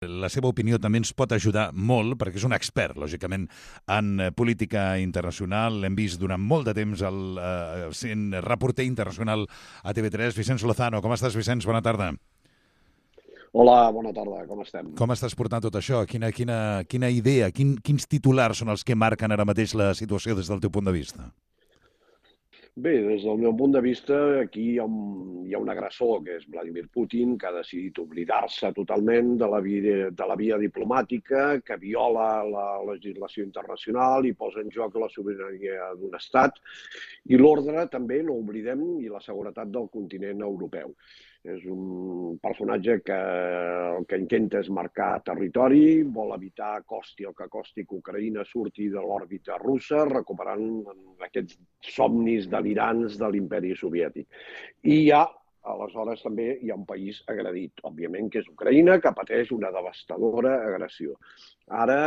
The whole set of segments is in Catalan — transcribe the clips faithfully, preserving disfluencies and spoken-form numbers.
La seva opinió també ens pot ajudar molt, perquè és un expert, lògicament, en política internacional. L'hem vist durant molt de temps el, eh, sent reporter internacional a T V tres. Vicenç Lozano, com estàs, Vicenç? Bona tarda. Hola, bona tarda, com estem? Com estàs portant tot això? Quina, quina, quina idea, quin, quins titulars són els que marquen ara mateix la situació des del teu punt de vista? Bé, des del meu punt de vista, aquí hi ha un, hi ha un agressor, que és Vladimir Putin, que ha decidit oblidar-se totalment de la, via, de la via diplomàtica, que viola la legislació internacional i posa en joc la sobirania d'un estat i l'ordre, també, no oblidem, i la seguretat del continent europeu. És un personatge que el que intenta és marcar territori, vol evitar, costi el que costi, que Ucraïna surti de l'òrbita russa, recuperant aquests somnis delirants de l'imperi soviètic. I hi ha, aleshores, també hi ha un país agredit, òbviament, que és Ucraïna, que pateix una devastadora agressió. Ara,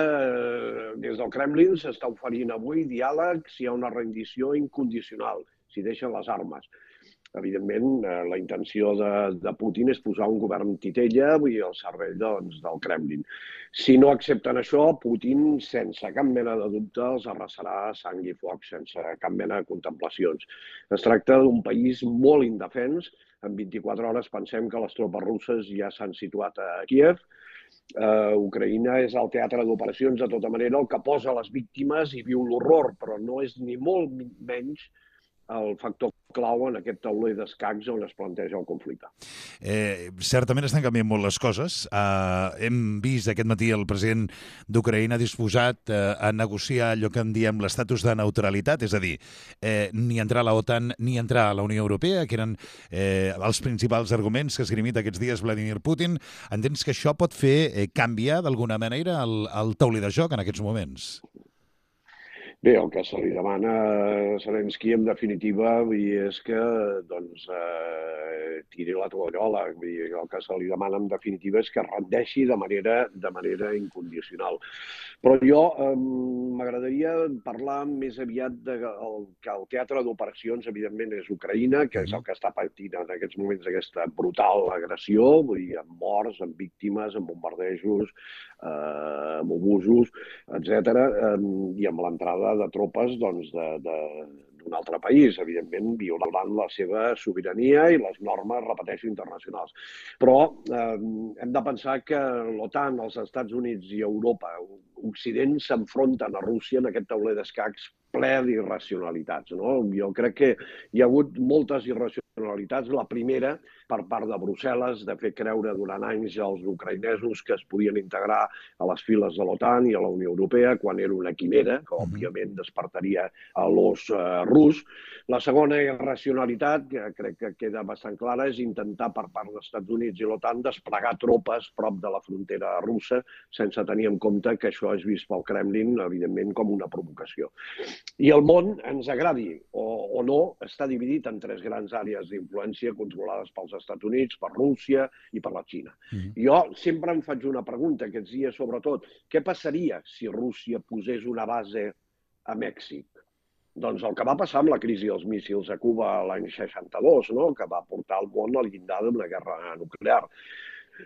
des del Kremlin s'està oferint avui diàleg si hi ha una rendició incondicional, si deixen les armes. Evidentment, la intenció de, de Putin és posar un govern titella i al servei doncs, del Kremlin. Si no accepten això, Putin, sense cap mena de dubte, els arrasarà sang i foc, sense cap mena de contemplacions. Es tracta d'un país molt indefens. En vint-i-quatre hores pensem que les tropes russes ja s'han situat a Kíev. Uh, Ucraïna és el teatre d'operacions, de tota manera, el que posa les víctimes i viu l'horror, però no és ni molt menys el factor clau en aquest tauler d'escacs on es planteja el conflicte. Eh, certament estan canviant molt les coses. Eh, hem vist aquest matí el president d'Ucraïna disposat eh, a negociar allò que en diem l'estatus de neutralitat, és a dir, eh, ni entrar a la OTAN ni entrar a la Unió Europea, que eren eh, els principals arguments que ha esgrimit aquests dies Vladimir Putin. Entens que això pot fer eh, canviar d'alguna manera el, el tauler de joc en aquests moments? Bé, el que se li demana a Zelensky, en definitiva, és que doncs, eh, tiri la tovallola. El que se li demana, en definitiva, és que rendeixi de manera, de manera incondicional. Però jo eh, m'agradaria parlar més aviat de el, que el teatre d'operacions, evidentment, és Ucraïna, que és el que està patint en aquests moments aquesta brutal agressió, vull dir, amb morts, amb víctimes, amb bombardejos, eh, amb obusos, etcètera, eh, i amb l'entrada de tropes doncs, de, de, d'un altre país, evidentment violant la seva sobirania i les normes, repeteixo, internacionals. Però eh, hem de pensar que l'OTAN, els Estats Units i Europa, Occident, s'enfronten a Rússia en aquest tauler d'escacs ple d'irracionalitats. No? Jo crec que hi ha hagut moltes irracionalitats. La primera, per part de Brussel·les, de fer creure durant anys als ucraïnesos que es podien integrar a les files de l'OTAN i a la Unió Europea, quan era una quimera, que òbviament despertaria a l'os eh, rus. La segona irracionalitat, que crec que queda bastant clara, és intentar per part dels Estats Units i l'OTAN desplegar tropes prop de la frontera russa, sense tenir en compte que això és vist pel Kremlin, evidentment, com una provocació. I el món, ens agradi o, o no, està dividit en tres grans àrees d'influència controlades pels Estats Units, per Rússia i per la Xina. Mm-hmm. Jo sempre em faig una pregunta aquests dies, sobretot, què passaria si Rússia posés una base a Mèxic? Doncs el que va passar amb la crisi dels míssils a Cuba l'any seixanta-dos, no? Que va portar el món al llindar d'una guerra nuclear.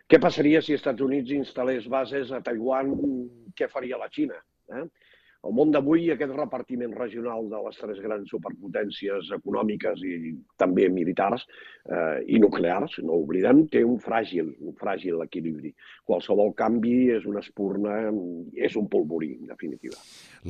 Què passaria si els Estats Units instal·lés bases a Taiwan? Què faria la Xina? Eh? El món d'avui, aquest repartiment regional de les tres grans superpotències econòmiques i també militars eh, i nuclears, no ho oblidem, té un fràgil, un fràgil equilibri. Qualsevol canvi és una espurna, és un polvorí, en definitiva.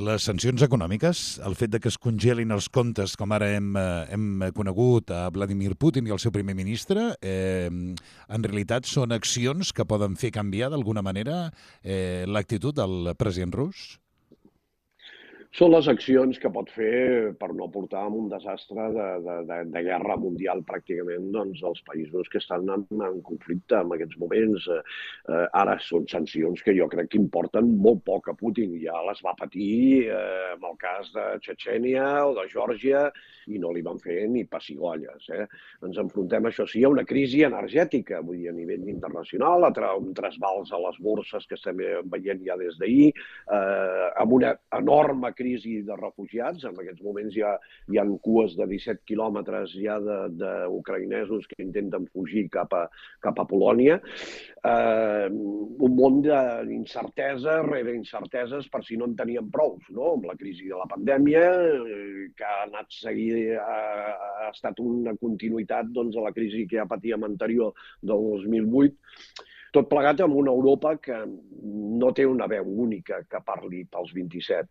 Les sancions econòmiques, el fet de que es congelin els comptes, com ara hem, hem conegut a Vladimir Putin i el seu primer ministre, eh, en realitat són accions que poden fer canviar d'alguna manera eh, l'actitud del president rus? Són les accions que pot fer per no portar a un desastre de, de, de, de guerra mundial pràcticament doncs, dels països que estan en, en conflicte en aquests moments. Eh, ara són sancions que jo crec que importen molt poc a Putin. Ja les va patir eh, amb el cas de Txetxènia o de Geòrgia i no li van fer ni pessigolles. Eh? Ens enfrontem, això sí, a una crisi energètica, vull dir, a nivell internacional, a un trasbals a les borses que estem veient ja des d'ahir, eh, amb una enorme crisi de refugiats. En aquests moments hi ha, hi ha cues de disset quilòmetres ja d'ucraïnesos que intenten fugir cap a, cap a Polònia. Eh, un món d'incertesa rere incerteses per si no en tenien prou, no? Amb la crisi de la pandèmia, eh, que ha anat seguir, ha, ha estat una continuïtat doncs, a la crisi que ja patíem anterior del dos mil vuit, tot plegat amb una Europa que no té una veu única que parli pels vint-i-set.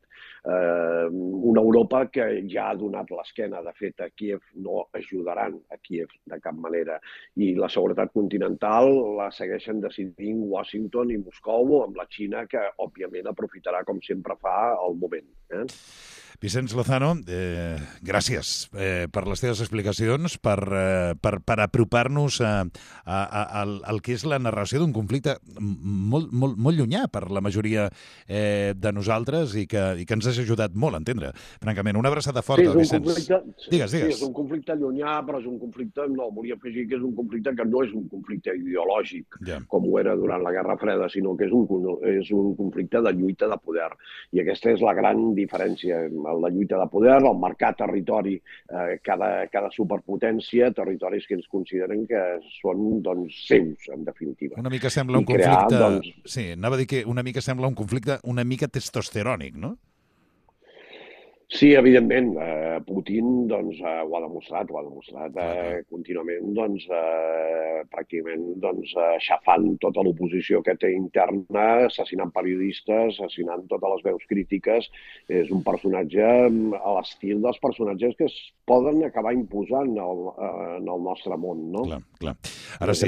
Eh, una Europa que ja ha donat l'esquena. De fet, a Kíev no ajudaran a Kíev de cap manera. I la seguretat continental la segueixen decidint Washington i Moscou, amb la Xina, que òbviament aprofitarà, com sempre fa, el moment. Eh? Vicenç Lozano, eh, gràcies eh, per les teves explicacions, per, eh, per, per apropar-nos a, a, a, al, al que és la narració d'un conflicte molt, molt, molt llunyà per la majoria eh, de nosaltres i que, i que ens has ajudat molt a entendre. Francament, una abraçada forta, sí, Vicenç. Conflicte, digues, digues. Sí, és un conflicte llunyà, però és un conflicte, no, volia afegir que és un conflicte que no és un conflicte ideològic, yeah. com ho era durant la Guerra Freda, sinó que és un, és un conflicte de lluita de poder. I aquesta és la gran diferència. La lluita de poder, el marcar territori, eh, cada, cada superpotència, territoris que ens consideren que són doncs, seus, en definitiva. Una mica sembla un crear, conflicte... Doncs... Sí, anava a dir que una mica sembla un conflicte una mica testosterònic, no? Sí, evidentment. Eh, Putin doncs, eh, ho ha demostrat, ho ha demostrat eh, contínuament, doncs, eh, pràcticament doncs, aixafant tota l'oposició que té interna, assassinant periodistes, assassinant totes les veus crítiques. És un personatge a l'estil dels personatges que es poden acabar imposant el, en el nostre món, no? Clar, clar. Ara sí,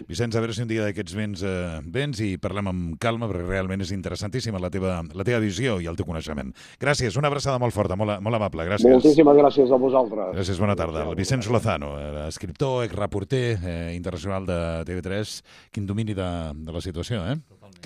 Vicenç, a veure si un dia d'aquests vens, eh, vens i parlem amb calma, perquè realment és interessantíssima la teva, la teva visió i el teu coneixement. Gràcies, una abraçada molt forta, molt, molt amable, gràcies. Moltíssimes gràcies a vosaltres. Gràcies, bona tarda. El Vicenç Lozano, escriptor, exreporter eh, internacional de T V tres, quin domini de, de la situació, eh?